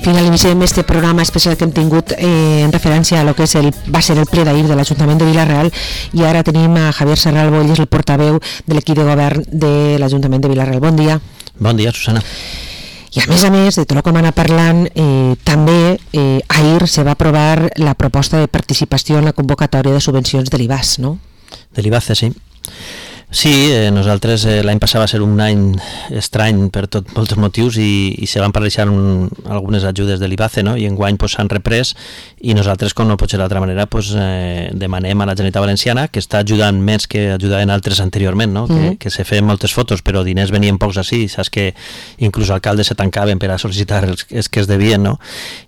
Finalitzem este programa especial que hem tingut en referència a lo que va ser el ple d'ahir de l'Ajuntament de Vila-real, i ara tenim a Javier Serralbo, ell és el portaveu de l'equip de govern de l'Ajuntament de Vila-real. Bon dia. Bon dia, Susana. I a més, de tot el que hem anat parlant, també ahir se va aprovar la proposta de participació en la convocatòria de subvencions de l'IBAS, no? De l'IBACE, sí. Sí, nosaltres l'any passat va ser un any estrany per molts motius i se van paralitzar algunes ajudes de l'IBACE, no? I enguany s'han reprès, i nosaltres, com no pot ser d'altra manera, demanem a la Generalitat Valenciana, que està ajudant més que ajudaven altres anteriorment, no? Que se feien moltes fotos però diners venien pocs així, saps que inclús alcaldes se tancaven per a sol·licitar els que es devien, no?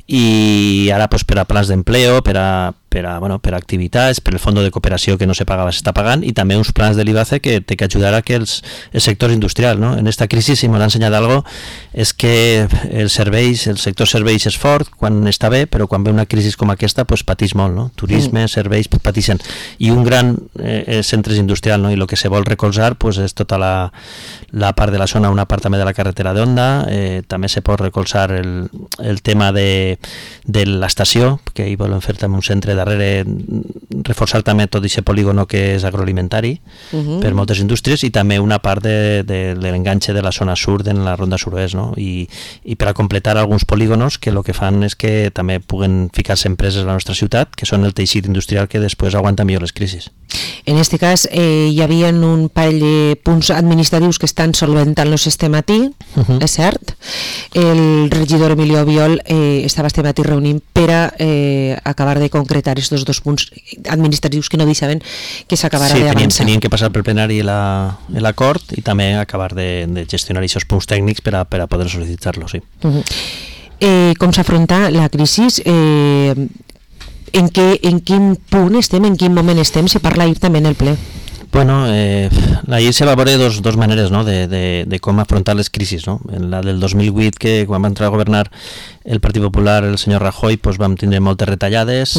I ara per a plans d'empleo, per a activitats, per el fons de cooperació que no se pagava s'està pagant, i també uns plans de l'IBACE que té que ajudar a que el sector industrial, no? En esta crisi, si m'ha ensenyat algo, és que el sector serveis és fort quan està bé, però quan ve una crisi com aquesta patís molt, no? Turisme, serveis, pateixen, i un gran centre industrial, no? I el que se vol recolzar és tota la part de la zona, una part també de la carretera d'Onda, també se pot recolzar el tema de l'estació, que hi volen fer també un centre darrere, reforçar també tot aquest polígono que és agroalimentari per moltes indústries, i també una part de l'enganxe de la zona sud en la ronda sud-oest, no? I per a completar alguns polígonos que el que fan és que també puguen ficar-se empreses a la nostra ciutat, que són el teixit industrial que després aguanta millor les crisis. En aquest cas hi havia un parell de punts administratius que estan solventant-los este matí, és cert. El regidor Emilio Biol estava este matí reunint per a acabar de concretar aquests dos punts administratius que no deixaven que s'acabara d'avançar. Sí, tenien que passar pel plenari l'acord i també acabar de gestionar aquests punts tècnics per a poder sol·licitar-los, sí. Com s'afronta la crisi? En quin punt estem, en quin moment estem? Se parla ahir també en el ple. Bueno, ahir se va veure dos maneres, no? de com afrontar les crisis, no? La del 2008, que quan va entrar a governar el Partit Popular, el senyor Rajoy, vam tindre moltes retallades,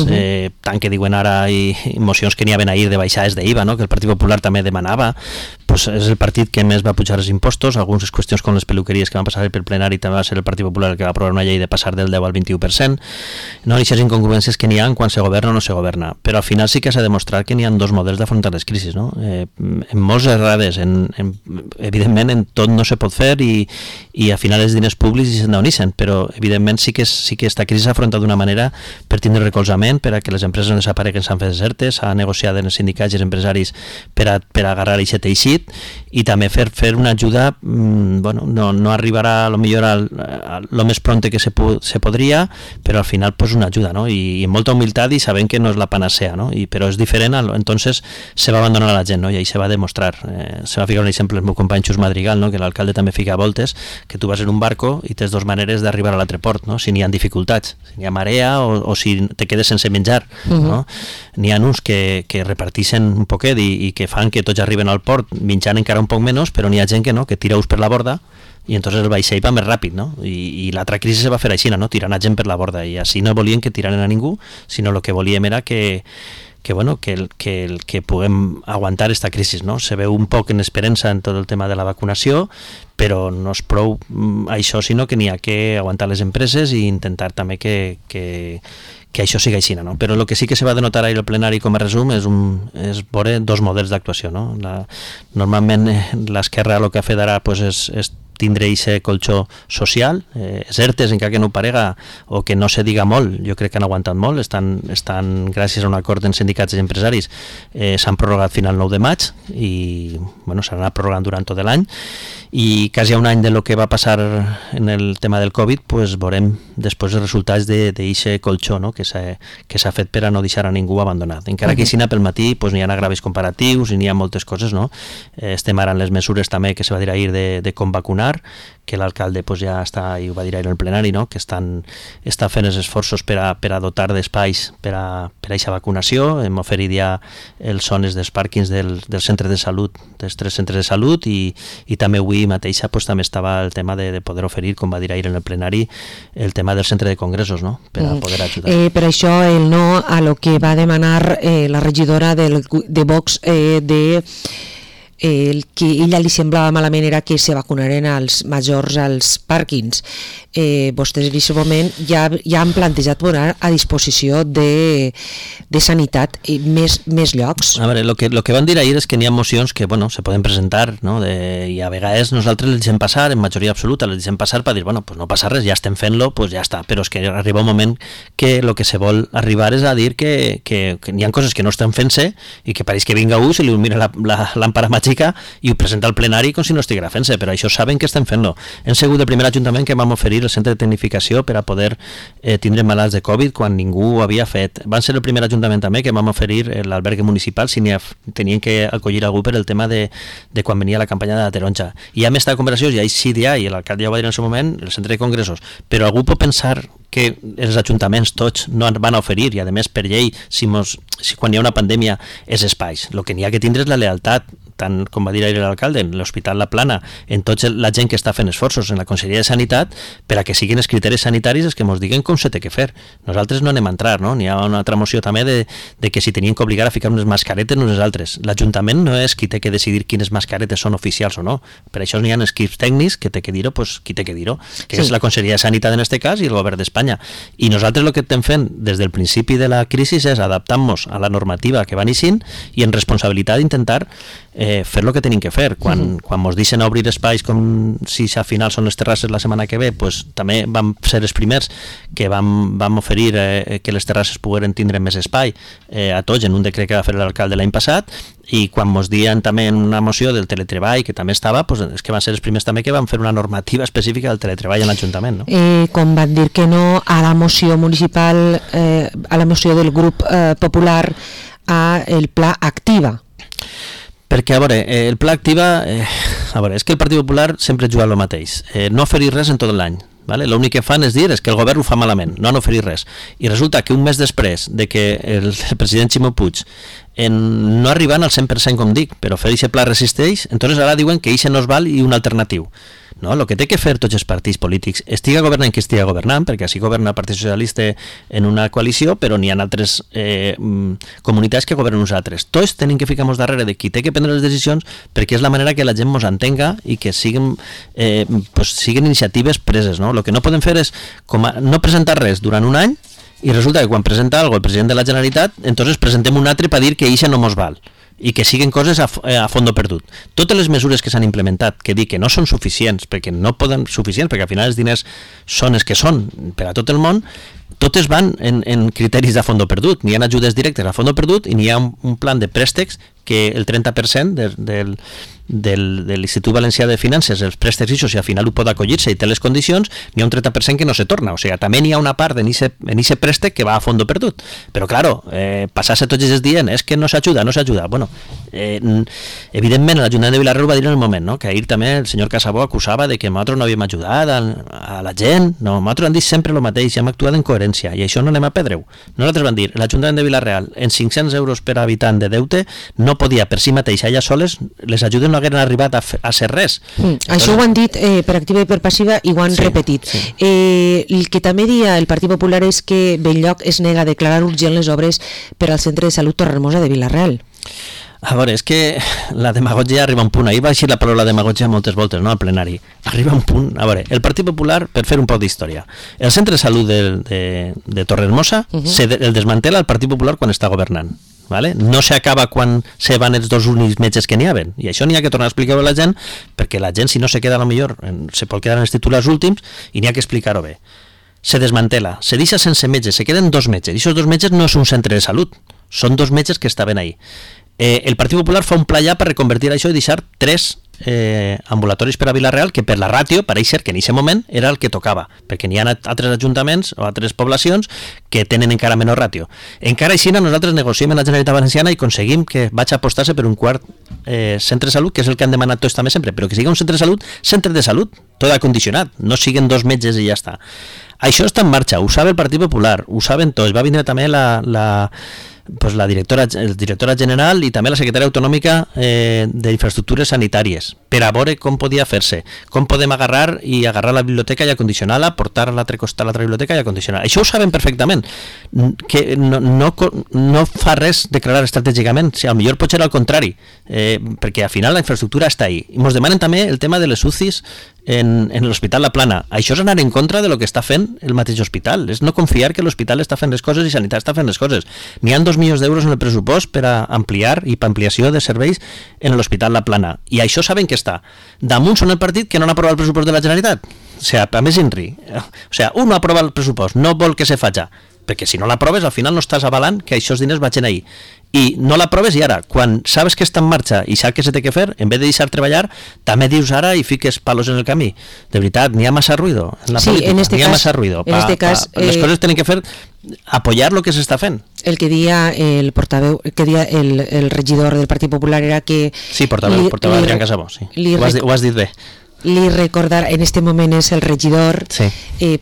tant que diuen ara, i mocions que n'hi havia ahir de baixades d'IVA, no? Que el Partit Popular també demanava. És el partit que més va pujar els impostos. Algunes qüestions com les peluqueries que van passar pel plenari també va ser el Partit Popular el que va aprovar una llei de passar del 10 al 21%. No? I aquestes incongruències que n'hi ha quan se governa o no se governa. Però al final sí que s'ha demostrat que n'hi ha dos models d'afrontar les crisis, no? En molts errades, evidentment en tot no se pot fer, i al final els diners públics se'n doneixen, però evidentment sí que aquesta crisi s'ha afrontat d'una manera per tindre recolzament, per a que les empreses no desapareguen, s'han fet desertes, s'ha negociat amb els sindicats i els empresaris per a agarrar aquest teixit, i també fer una ajuda, no arribarà a lo millor lo més pronte que se podria, però al final una ajuda, no? I amb molta humilitat, i sabent que no és la panacea, no? Però és diferent, entonces se va abandonar a la gent, no? I ahí se va demostrar. Se va ficar un exemple el meu company Xus Madrigal, no? Que l'alcalde també fica voltes, que tu vas en un barco i tens dos maneres d'arribar a l'altre port, no? Si n'hi ha dificultats, si n'hi ha marea o si te quedes sense menjar, no? N'hi ha uns que reparteixen un poquet i que fan que tots arriben al port menjant encara un poc menys, però n'hi ha gent que no, que tira-us per la borda, i entonces el vaixell va més ràpid, no? I l'altra crisi se va fer així, no? Tirant a gent per la borda, i així no volien que tiraren a ningú, sinó el que volíem era que puguem aguantar aquesta crisi, no? Se veu un poc en esperança en tot el tema de la vacunació, però no és prou això, sinó que n'hi ha que aguantar les empreses i intentar també que això sigui així, no? Però el que sí que se va denotar ahir al plenari com a resum és veure dos models d'actuació, no? Normalment l'esquerra el que ha fet ara és tindre aquest colxó social, ERTEs, encara que no ho parega o que no se diga molt, jo crec que han aguantat molt, estan gràcies a un acord en sindicats i empresaris, s'han prorrogat final 9 de maig i s'han anat prorrogant durant tot l'any, i quasi un any de lo que va passar en el tema del Covid, veurem després els resultats d'aquest colxó, no? que s'ha fet per a no deixar a ningú abandonat. Encara que pel matí n'hi ha agravis comparatius i n'hi ha moltes coses, no? Estem ara en les mesures també que se va dir ahir de com vacunar, que l'alcalde ja està, i ho va dir ahir en el plenari, no? Que estan fent els esforços per a dotar d'espais per a aquesta vacunació. Hem oferit ja els zones dels pàrquings dels centres de salut, dels 3 centres de salut, i també avui mateixa també estava el tema de poder oferir, com va dir ahir en el plenari, el tema del centre de congressos, no? Per a poder ajudar. Per això el no a lo que va demanar la regidora de Vox de el que a ella li semblava malament era que se vacunaren als majors als pàrquings. Vostès en aquest moment ja han plantejat posar a disposició de sanitat més llocs. A veure, lo que van dir ahir és que n'hi ha mocions que, bueno, se poden presentar, no? I a vegades nosaltres les deixem passar, en majoria absoluta les deixem passar per dir, bueno, pues no passa res, ja estem fent-lo, pues ja està, però és que arriba un moment que el que se vol arribar és a dir que n'hi ha coses que no estan fent-se i que pareix que vinga un, se li mira la làmpara màgica i ho presenta al plenari com si no estiguera fent-se, però això saben que estem fent-lo. Hem sigut el primer ajuntament que vam oferir el centre de tecnificació per a poder tindre malalts de Covid quan ningú ho havia fet. Van ser el primer ajuntament també que vam oferir l'albergue municipal si tenien que acollir algú per el tema de quan venia la campanya de la taronja. I hem estat conversacions, i ahir sí dia, i l'alcalde ja ho va dir en el seu moment, el centre de congressos, però algú pot pensar que els ajuntaments tots no van a oferir, i a més per llei, si quan hi ha una pandèmia és espais. El que n'hi ha que tindre és la lealtat, tant com va dir ahir l'alcalde, en l'Hospital La Plana, en tota la gent que està fent esforços en la Conselleria de Sanitat per a que siguin els criteris sanitaris els que ens diguen com se té que fer. Nosaltres no anem a entrar, no? N'hi ha una altra moció també de que si tenien que obligar a ficar unes mascaretes nosaltres. L'Ajuntament no és qui té que decidir quines mascaretes són oficials o no. Per això n'hi ha equips tècnics que té que dir-ho, pues, qui té que dir-ho, que és la Conselleria de Sanitat en aquest cas i el Govern d'Espanya. I nosaltres el que estem fent des del principi de la crisi és adaptar-nos a la normativa que va neixint i en responsabilitat intentar fer el que tenim que fer. Quan ens deixen obrir espais com si al final són les terrasses la setmana que ve, pues, també vam ser els primers que vam oferir que les terrasses pogueren tindre més espai a tots en un decret que va fer l'alcalde l'any passat, i quan ens dien també en una moció del teletreball que també estava, pues, és que van ser els primers també que van fer una normativa específica del teletreball en l'Ajuntament, no? Com van dir que no a la moció municipal, a la moció del grup popular, a el Pla Activa. Perquè, a veure, el Pla Activa, és que el Partit Popular sempre juga el mateix, no oferir res en tot l'any. Vale? L'únic que fan és dir és que el govern ho fa malament, no han oferit res. I resulta que un mes després de que el president Ximo Puig no arribant al 100% com dic, però fer aquest pla resisteix, entonces ara diuen que això no es val i un alternatiu. No, el que té que fer tots els partits polítics, estiga governant qui estiga governant, perquè així governa el Partit Socialista en una coalició, però n'hi ha altres comunitats que governen uns altres. Tots tenim que ficar-nos darrere de qui té que prendre les decisions, perquè és la manera que la gent ens entenga i que siguin iniciatives preses. No? El que no podem fer és no presentar res durant un any i resulta que quan presenta alguna cosa el president de la Generalitat, entonces presentem un altre per dir que això no mos val i que siguin coses a fondo perdut. Totes les mesures que s'han implementat, que dic que no són suficients, perquè no poden suficients, perquè al final els diners són els que són per a tot el món, totes van en criteris de fondo perdut. N'hi ha ajudes directes a fondo perdut i n'hi ha un plan de préstecs que el 30% de l'Institut Valencià de Finances, els préstecs, si al final ho pot acollir-se i té les condicions, n'hi ha un 30% que no se torna. O sigui, també n'hi ha una part en aquest préstec que va a fondo perdut. Però, claro, passar-se tots els dies és que no s'ajuda. Bueno, evidentment, l'Ajuntament de Vila-real va dir en el moment, no? Que ahir també el senyor Casabó acusava de que nosaltres no havíem ajudat a la gent. No, nosaltres hem dit sempre el mateix, hem actuat en coherència, i això no anem a perdre-ho. Nosaltres vam dir, l'Ajuntament de Vila-real, en 500 euros per habitant de deute, no podia per si mateix, allà soles, les ajudes no hagueren arribat a ser res. Això ho han dit per activa i per passiva i ho han repetit. El que també dia el Partit Popular és que Belllloc es nega a declarar urgent les obres per al Centre de Salut Torrehermosa de Vila-real. A veure, és que la demagogia arriba a un punt. Ahir va eixir la paraula demagogia moltes voltes, no?, al plenari. Arriba a un punt. A veure, el Partit Popular, per fer un poc d'història, el Centre de Salut de Torrehermosa el desmantela el Partit Popular quan està governant. Vale? No s'acaba quan se van els dos únics metges que n'hi haven, i això n'hi ha que tornar a explicar-ho a la gent, perquè la gent, si no se queda, a lo millor se pot quedar en els titulars últims, i n'hi ha que explicar-ho bé. Se desmantela, se deixa sense metges, se queden dos metges, i aquests dos metges no és un centre de salut, són dos metges que estaven ahí. El Partit Popular fa un pla ja per reconvertir això i deixar 3 ambulatoris per a Vila-real, que per la ràtio pareix ser que en aquest moment era el que tocava, perquè n'hi ha altres ajuntaments o altres poblacions que tenen encara menor ràtio. Encara així nosaltres negociem amb la Generalitat Valenciana i aconseguim que vaig apostar-se per un quart centre de salut, que és el que han demanat tots també sempre, però que sigui un centre de salut, tot acondicionat, no siguin dos metges i ja està. Això està en marxa, ho sabe el Partit Popular, ho saben tots. Va vindre també pues la directora general i també la secretària autonòmica d'infraestructures sanitàries per a veure com podia fer-se, com podem agarrar la biblioteca i acondicionar-la, portar a l'altre costat l'altra biblioteca i acondicionar-la. Això ho saben perfectament, que no fa res declarar estratègicament, si millor pot ser al contrari, perquè al final la infraestructura està ahí. I ens demanen també el tema de les UCIs en l'Hospital La Plana. Això és anar en contra de lo que està fent el mateix hospital, és no confiar que l'hospital està fent les coses i Sanitat està fent les coses. N'hi ha 2 milions d'euros en el pressupost per a ampliar i per ampliació de serveis en l'Hospital La Plana, i això saben que està. Damunt són el partit que no han aprovat el pressupost de la Generalitat. O sigui, a més INRI. O sigui, un no aprova el pressupost, no vol que se faci, perquè si no l'aproves al final no estàs avalant que aquests diners vagin ahí, i no l'aproves, i ara, quan sabes que està en marxa i saps que se té que fer, en vez de deixar treballar, també dius ara i fiques palos en el camí. De veritat, n'hi ha massa ruido en la política, n'hi ha massa ruido. Les coses tenen que fer apoyar lo que s'està fent. El que dia el portaveu, el regidor del Partit Popular era que... Sí, portaveu Adrián Casabó, sí. Ho has dit bé. Li recordar, en este moment és el regidor, sí.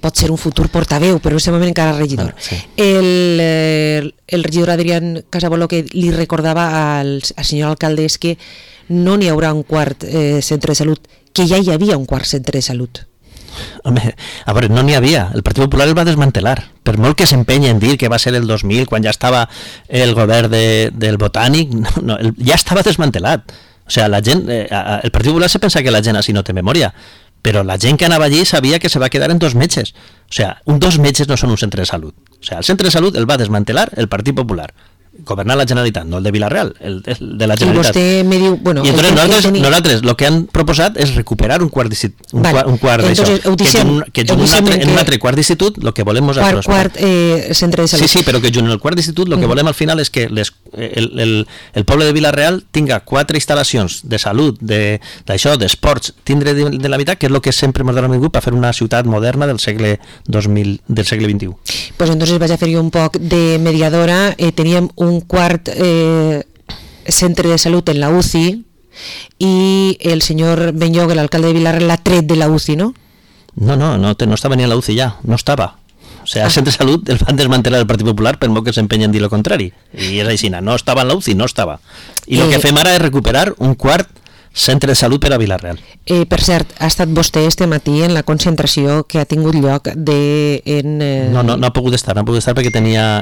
Pot ser un futur portaveu, però en aquest moment encara regidor. Sí. El regidor Adrián Casabó el que li recordava al senyor alcalde és que no n'hi haurà un quart centre de salut, que ja hi havia un quart centre de salut. Home, a veure, no n'hi havia. El Partit Popular el va desmantelar. Per molt que s'empenya en dir que va ser el 2000, quan ja estava el govern del Botànic, no, ja estava desmantelat. O sigui, la gent, el Partit Popular se pensa que la gent així no té memòria, però la gent que anava allí sabia que se va quedar en 2 metges. O sigui, 2 metges no són un centre de salut. O sigui, el centre de salut el va desmantelar el Partit Popular. Governar la Generalitat, no el de Vila-real, el de la Generalitat. I vostè me diu... Bueno, i entonces nosaltres el que han proposat és recuperar un quart d'això. Que en un altre quart d'institut el que volem és... Quart centre de salut. Sí, però que en el quart d'institut el que volem al final és que el poble de Vila-real tinga 4 instal·lacions de salut, d'això, d'esports, tindre de la veritat, que és el que sempre ens dona vingut per fer una ciutat moderna del segle 2000, del segle XXI. Pues entonces vaig a fer jo un poc de mediadora. Teníem un quart centre de salut en la UCI i el senyor Benlloc, l'alcalde de Vila-real, l'ha tret de la UCI, ¿no? No estava ni a la UCI ja, no estava. O sigui, el centre de salut el van desmantelar el Partit Popular per molt que s'empenyen en dir el contrari. I és així, no estava en la UCI, no estava. I el que fem ara és recuperar un quart centre de salut per a Vila-real. Per cert, ha estat vostè este matí en la concentració que ha tingut lloc No ha pogut estar perquè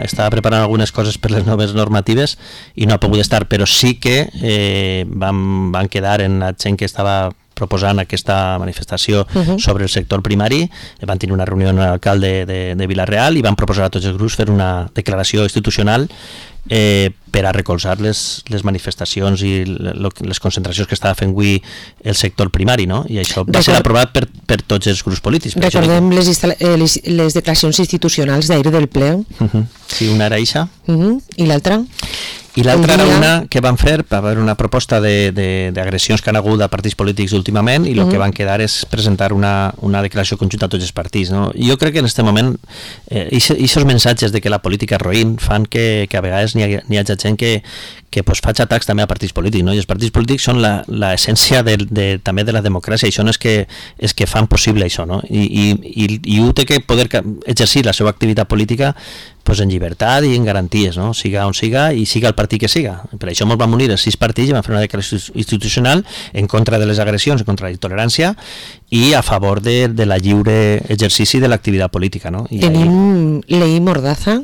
estava preparant algunes coses per les noves normatives i no ha pogut estar, però sí que van quedar en la gent que estava proposant aquesta manifestació sobre el sector primari. Van tenir una reunió amb l'alcalde de Vila-real i van proposar a tots els grups fer una declaració institucional per a recolzar les manifestacions i les concentracions que estava fent avui el sector primari, no? I això va ser aprovat per tots els grups polítics. Recordem les declaracions institucionals d'ahir del ple. Sí, una era eixa. I l'altra? I l'altra era una que van fer per haver una proposta d'agressions que han hagut a partits polítics últimament i el que van quedar és presentar una declaració conjunta a tots els partits, no? Jo crec que en aquest moment aquests missatges de que la política és roïn fan que a vegades n'hi hagi gent que faig atacs també a partits polítics, no? I els partits polítics són l'essència també de la democràcia, i són els que fan possible això, no? I ho té que poder exercir la seva activitat política en llibertat i en garanties, no? Siga on siga i siga el partit que siga. Per això ens vam unir els 6 partits i vam fer una declaració institucional en contra de les agressions, en contra de la intolerància i a favor de la lliure exercici de l'activitat política, no? Tenim Ley Mordaza?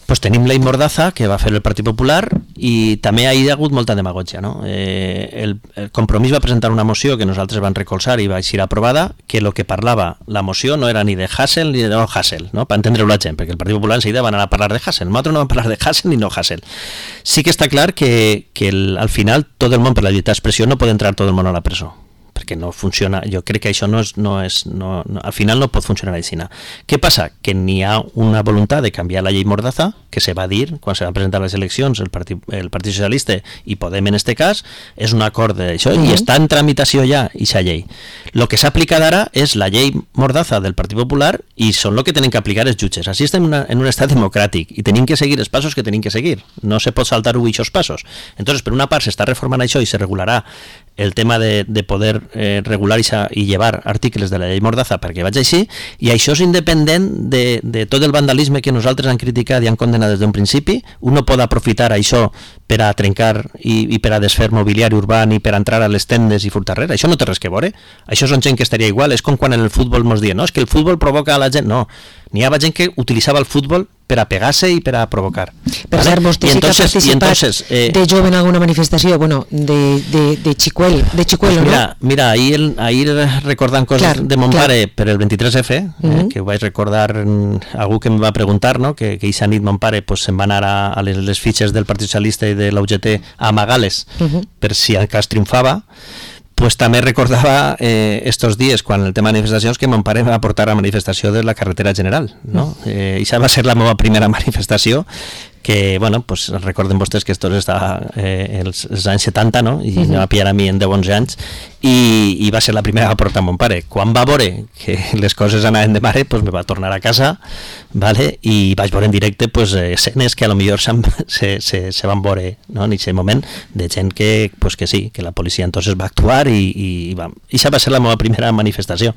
Pues tenim Ley Mordaza, que va fer el Partit Popular, i també hi ha hagut molta demagògia, no? El Compromís va presentar una moció que nosaltres vam recolzar i va ser aprovada, que el que parlava la moció no era ni de Hassel ni de no Hassel, no? Per entendre-ho la gent, perquè el Partit Popular enseguida van anar a parlar de Hassel. Nosaltres no vam parlar de Hassel ni no Hassel. Sí que està clar que al final tot el món per la llibertat d'expressió no pot entrar tot el món a la presó, perquè no funciona. Jo crec que això al final no pot funcionar així. Què passa? Que n'hi ha una voluntat de canviar la llei Mordaza, que se va dir quan se van presentar les eleccions el Partit Socialista i Podem en este cas, és un acord d'això i està en tramitació ja aquesta llei. El que s'ha aplicat ara és la llei Mordaza del Partit Popular i són el que tenen que aplicar els jutges. Així estem en un estat democràtic i tenim que seguir els passos que tenim que seguir. No se pot saltar aquests passos. Entonces, per una part s'està reformant això i se regularà el tema de poder regular i llevar articles de la llei Mordaza perquè vaig així, i això és independent de tot el vandalisme que nosaltres han criticat i han condenat des d'un principi. Un no pot aprofitar això per a trencar i per a desfer mobiliari urbà i per a entrar a les tendes i furtar res. Això no té res que veure. Això són gent que estaria igual. És com quan en el futbol ens diuen, no, és que el futbol provoca a la gent. No, n'hi havia gent que utilitzava el futbol per a pegar-se i per a provocar. Per cert, vostè sí que ha participat de jove en alguna manifestació, bueno, de xicuel, pues ¿no? Mira, ahir recordant coses de mon pare per el 23F, que ho vaig recordar algú que em va preguntar, no? que aquesta nit mon pare pues, se'n va anar a les fitxes del Partit Socialista i de la UGT a amagar-les per si en cas triomfava. Pues també recordava estos dies, quan el tema de manifestacions, que mon pare va portar a manifestació de la carretera general, no? Això va ser la meva primera manifestació, que, bueno, pues recorden vostès que esto està els anys 70, no? I me va pillar a mi en 10-11 anys, i va ser la primera que va portar mon pare. Quan va veure que les coses anaven de mare, pues me va tornar a casa, ¿vale? I vaig veure en directe pues, escenes que a lo millor se van veure, no? En aquest moment, de gent que, pues, que sí, que la policia entonces va actuar i això va ser la meva primera manifestació.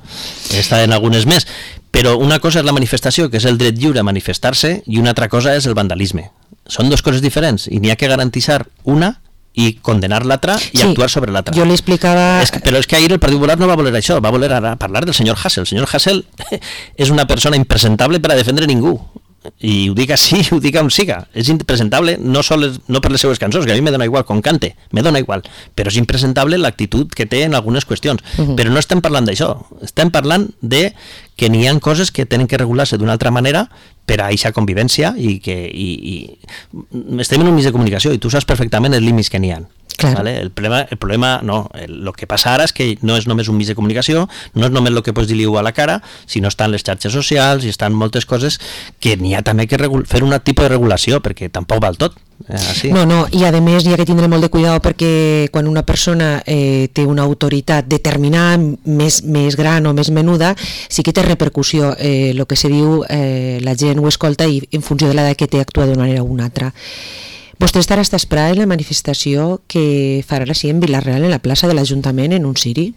He estat en algunes més, però una cosa és la manifestació, que és el dret lliure a manifestar-se, i una altra cosa és el vandalisme. Són dues coses diferents i n'hi ha que garantir una i condenar l'altra i actuar sobre l'altra. Jo li explicava... Però és que ahir el Partit Popular no va voler això, va voler ara parlar del senyor Hasél. El senyor Hasél és una persona impresentable per a defendre ningú. I ho dic així, ho dic on siga. És impresentable no per les seues cançons, que a mi me dona igual com cante, me dona igual, però és impresentable l'actitud que té en algunes qüestions. Però no estem parlant d'això, estem parlant de que n'hi ha coses que tenen que regular-se d'una altra manera per a aquesta convivència i estem en un mig de comunicació i tu saps perfectament els límits que n'hi ha. Claro. ¿Vale? El problema no, el que passa ara és que no és només un mig de comunicació, no és només el que pots dir-li a la cara, sinó estan les xarxes socials i estan moltes coses que n'hi ha també que fer un tipus de regulació, perquè tampoc val tot. Así. No, i a més hi ha que tindre molt de cuidado perquè quan una persona té una autoritat determinada, més gran o més menuda, sí que té repercussió. El que se diu, la gent ho escolta i en funció de l'edat que té actua d'una manera o una altra. Vostè estarà a esperar en la manifestació que farà així en Vila-real, en la plaça de l'Ajuntament, en un ciri?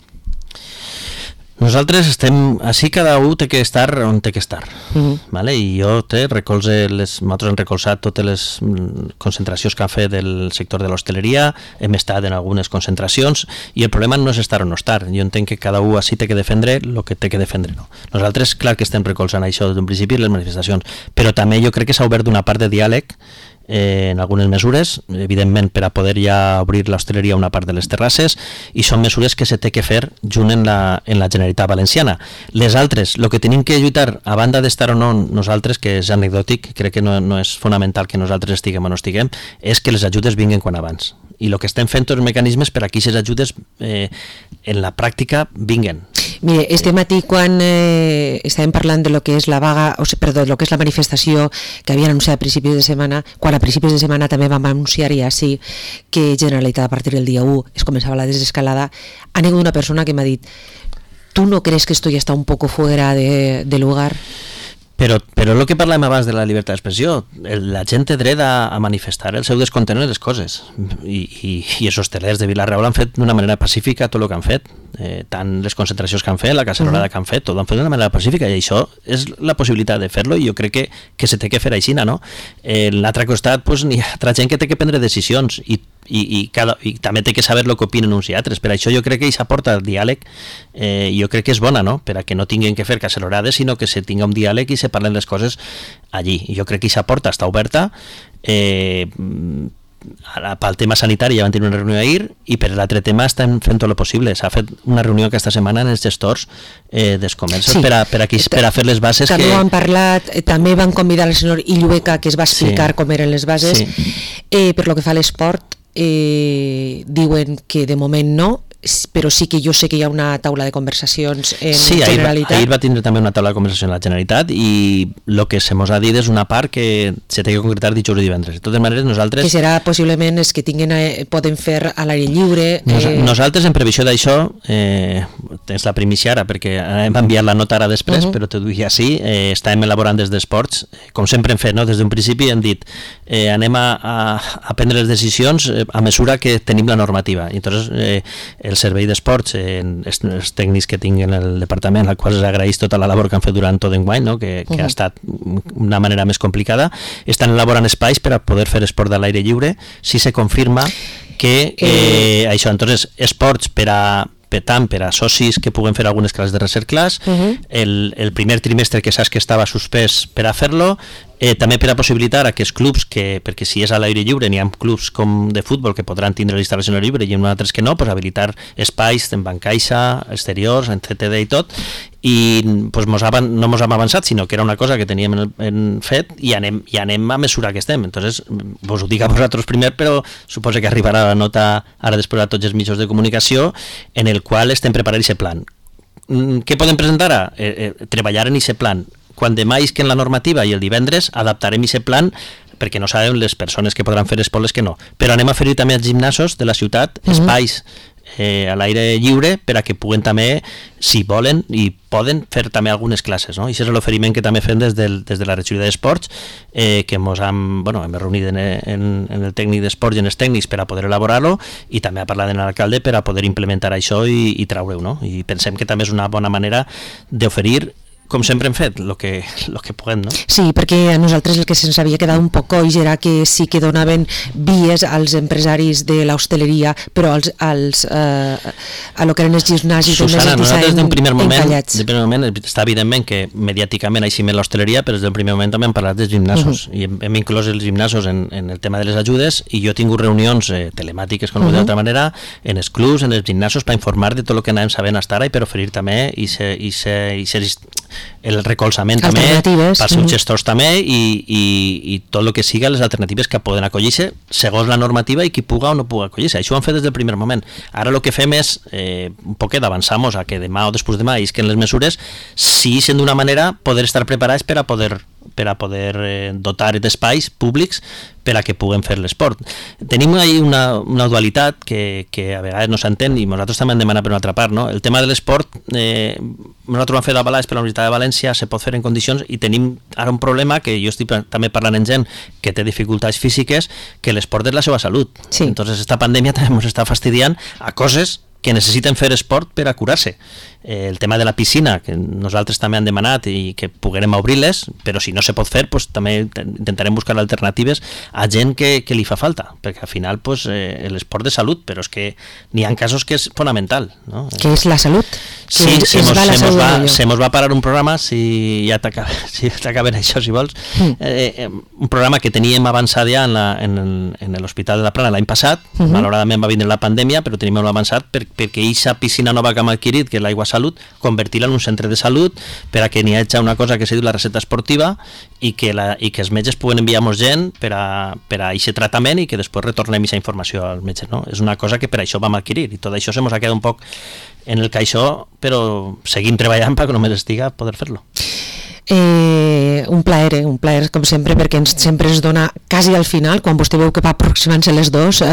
Nosaltres estem així, cada un té que estar on té que estar, ¿vale? I jo nosaltres hem recolzat totes les concentracions que han fet del sector de l'hostaleria, hem estat en algunes concentracions i el problema no és estar o no estar. Jo entenc que cada un així té que defendre el que té que defendre. No? Nosaltres, clar que estem recolzant això des d'un principi, les manifestacions, però també jo crec que s'ha obert una part de diàleg en algunes mesures, evidentment per a poder ja obrir l'hostaleria a una part de les terrasses, i són mesures que se té que fer junt en la Generalitat Valenciana. Les altres, el que tenim que lluitar, a banda d'estar o no nosaltres, que és anecdòtic, crec que no és fonamental que nosaltres estiguem o no estiguem, és que les ajudes vinguin quan abans. I el que estem fent tots els mecanismes per a que aquestes ajudes en la pràctica vinguin. Mire, este matí quan estàvem parlant de lo que és la vaga, lo que és la manifestació que havia anunciat a principis de setmana, quan a principis de setmana també vam anunciar ja sí que Generalitat a partir del dia 1 es començava la desescalada, ha hagut una persona que m'ha dit: ¿tú no crees que esto ya está un poco fuera de lugar? Però el que parlàvem abans de la llibertat d'expressió, la gent té dret a manifestar el seu descontent en les coses, i els hostelers de Vila-real han fet d'una manera pacífica tot el que han fet, tant les concentracions que han fet, la cacerolada que han fet, tot ho han fet d'una manera pacífica, i això és la possibilitat de fer-lo, i jo crec que se té que fer així, no? En l'altre costat, pues, hi ha altra gent que té que prendre decisions, i també té que saber el que opinen uns i altres. Per això jo crec que aquesta porta al diàleg jo crec que és bona, no? Per a que no tinguin que fer cacerolades, sinó que se tinga un diàleg i se parlen les coses allí. I jo crec que aquesta porta està oberta. Pel tema sanitari ja van tenir una reunió ahir, i per l'altre tema estem fent tot el possible. S'ha fet una reunió aquesta setmana en els gestors dels comerços per a fer les bases. També ho han parlat, també van convidar el senyor Illueca, que es va explicar com eren les bases. Per lo que fa a l'esport, diuen que de moment no, però sí que jo sé que hi ha una taula de conversacions en Generalitat. Ahir va tindre també una taula de conversació en la Generalitat, i el que se mos ha dit és una part que se té que concretar dijous i divendres. De totes maneres, nosaltres... Que serà possiblement els que poden fer a l'aire lliure... Nosaltres, en previsió d'això, tens la primícia ara, perquè hem enviat la nota ara després, però t'ho dic així, estàvem elaborant des d'esports, com sempre hem fet, no? Des d'un principi hem dit anem a prendre les decisions a mesura que tenim la normativa. I entonces el servei d'esports, els tècnics que tinc en el departament, al qual els agraïs tota la labor que han fet durant tot enguany, no? que ha estat una manera més complicada, estan elaborant espais per a poder fer esport de l'aire lliure, si se confirma que això, entonces, esports per a socis que puguen fer algunes classes de recercles, el primer trimestre que saps que estava suspès per a fer-lo, també per a possibilitar a que els clubs, perquè si és a l'aire lliure n'hi ha clubs com de futbol que podran tindre l'instal·lació a l'aire lliure i en altres que no, pues habilitar espais en bancaixa, exteriors, en CTD i tot, i pues, no mos hem avançat, sinó que era una cosa que teníem fet i anem a mesura que estem. Entonces, vos ho dic a vosaltres primer, però suposo que arribarà la nota ara després a tots els mitjans de comunicació en el qual estem preparant aquest plan. Què podem presentar ara? Treballar en aquest plan. Quan demà isquen la normativa i el divendres adaptarem aquest plan, perquè no sabem les persones que podran fer esport les que no. Però anem a fer també als gimnasos de la ciutat espais a l'aire lliure per a que puguen també, si volen i poden, fer també algunes classes, no? I això és l'oferiment que també fem des de la regidoria d'esports, que hem reunit en el tècnic d'esports i en els tècnics per a poder elaborar-lo, i també a parlar amb l'alcalde per a poder implementar això i treure-ho, no? I pensem que també és una bona manera d'oferir, com sempre hem fet, el que puguem, no? Sí, perquè a nosaltres el que se'ns havia quedat un poc coix era que sí que donaven vies als empresaris de l'hostaleria, però a lo que eren els gimnasis... Susana, nosaltres d'un primer moment està evidentment que mediàticament així més l'hostaleria, però des del primer moment també hem parlat dels gimnasos, i hem inclòs els gimnasos en el tema de les ajudes, i jo he tingut reunions telemàtiques, com d'altra manera, en els clubs, en els gimnasos, per informar de tot el que anàvem sabent fins ara i per oferir també el recolzament també pels seus gestors també i tot el que siga les alternatives que poden acollir-se segons la normativa i qui puga o no puga acollir-se. Això ho han fet des del primer moment. Ara el que fem és un poquet avançamos a que demà o després demà isquen les mesures, si sent d'una manera poder estar preparats per a poder dotar d'espais públics per a que puguem fer l'esport. Tenim ahí una dualitat que a vegades no s'entén i nosaltres també hem demanat per una altra part, no? El tema de l'esport, nosaltres ho hem fet avalats per la Universitat de València, se pot fer en condicions i tenim ara un problema que jo estic també parlant amb gent que té dificultats físiques, que l'esport és la seva salut. Sí. Entonces esta pandèmia també ens està fastidiant a coses que necessiten fer esport per a curar-se. El tema de la piscina, que nosaltres també hem demanat i que puguem obrir-les, però si no se pot fer, pues, també intentarem buscar alternatives a gent que li fa falta, perquè al final pues, l'esport de salut, però és que n'hi ha casos que és fonamental, no? Què és la salut? Sí, se mos va parar un programa, si ja t'acaben això, si vols, un programa que teníem avançat ja en l'Hospital de la Plana l'any passat, malauradament va vindre la pandèmia, però teníem avançat perquè aquesta piscina nova que hem adquirit, que és l'Aigua Salut, convertir-la en un centre de salut per a que n'hi hagi una cosa que se diu la recepta esportiva i que els metges puguen enviar-nos gent per a aquest tractament i que després retornem aquesta informació als metges, no? És una cosa que per això vam adquirir i tot això se mos ha quedat un poc en el caixó, però seguim treballant perquè només estiga poder fer-lo. Un plaer com sempre, perquè sempre es dona quasi al final, quan vostè veu que va aproximant-se les dos,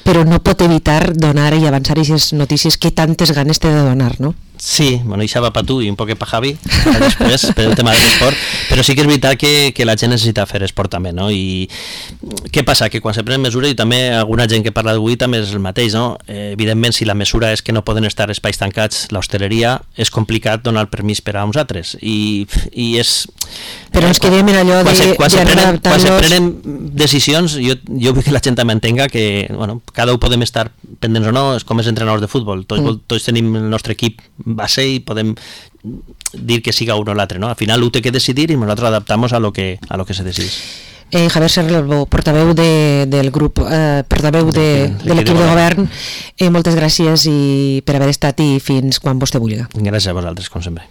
però no pot evitar donar i avançar aquestes notícies que tantes ganes té de donar, no? Sí, bueno, això va per tu i un poquet per Javi després, per el tema de l'esport, però sí que és veritat que la gent necessita fer esport també, no? I què passa? Que quan se prenen mesures, i també alguna gent que parla d'avui també és el mateix, no? Evidentment, si la mesura és que no poden estar espais tancats, l'hostaleria, és complicat donar el permís per a uns altres, i és... Però ens quedem en allò quan se prenen decisions, jo vull que la gent també entenga que, bueno, cada un podem estar pendents o no, és com els entrenadors de futbol, tots tenim el nostre equip base i podem dir que siga un o l'altre, no? Al final ho té que decidir i nosaltres adaptamos a lo que se decidís. Javier Serralbo, portaveu del grup, portaveu de l'equip de govern, moltes gràcies per haver estat i fins quan vostè vulgui. Gràcies a vosaltres, com sempre.